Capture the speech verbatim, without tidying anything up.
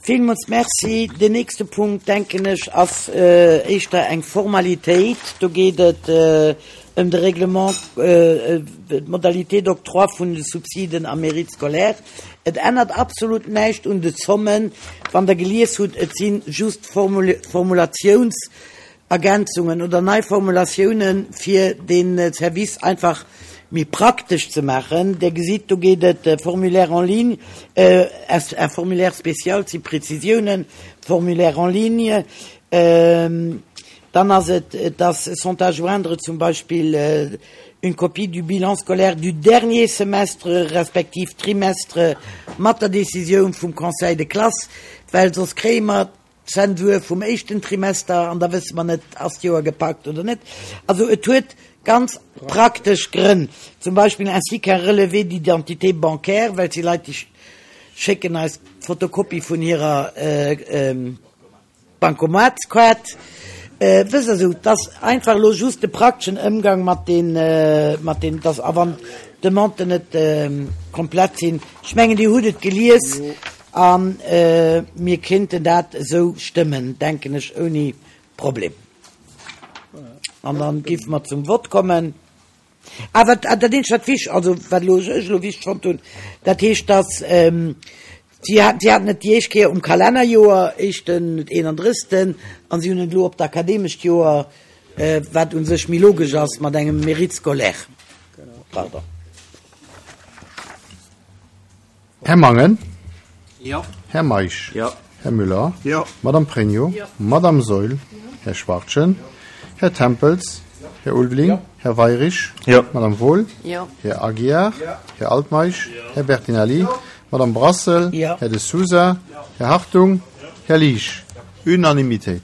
Villmools Merci. Den nächste Punkt, denken ech, ass éischter eng Formalitéit. Do geet et ëm de Règlement, d'Modalité d'octroi vun de Subsiden am Mérite scolaire. Et ännert absolut näischt un de Zommen. Wann Der gelies hutt, et si just Formulationsergänzungen oder nei Formulatiounen, fir de Service einfach méi praktesch ze maachen. Der gesitt, do geet et Formulaire en ligne, un formulaire spécial, si Prezisiounen, Formulaire en ligne. Dann ass et, dass sont à joindre zum Beispill une copie du bilan scolaire du dernier semestre respektiv trimestre mat der Décisioun vum Conseil de classe, well soss kréie mer d'Zensur vum éischten Trimester an da wësse mer net, ass d'Joer gepackt oder net. Also et huet ganz praktesch Grënn, zum Beispill ainsi qu'un relevé d'identité bancaire, well si Leit, déi schécken eis d'Fotokopie vun hirer Bankomatskaart. Wësst Der, esou, dass einfach elo just de prakteschen Ëmgang mat den, mat den, dass, a wann d'Demanden net komplett sinn, ech mengen, Dir hutt et gelies a mir kéinten dat esou stëmmen, denken ech, ouni Problem. An dann géife mer zum Vott kommen. Ah, wat, dat eenzegt, wat wich, also wat elo ech elo wichteg fonnt hunn, dat heescht, dass si haten, si haten et déi éischt Kéier um Kalennerjoer, éischten, eenandrëssegsten, an si hunn et elo op d'akademescht Joer, wat u sech méi logesch ass mat engem Mérite scolaire. Pardon. Här Mangen? Jo. Här Meisch? Jo. Här Müller? Jo. Madame Pregno? Jo. Madame Saeul? Här Schwachtgen? Här Tempels? Här Ulveling? Här Weyrich? Jo. Madame Wohl? Jo. Här Aguiar? Här Altmeisch? Här Bertinelli? Madame Brassel? Jo. Här De Sousa? Här Hartung? Här Liesch? Unanimitéit.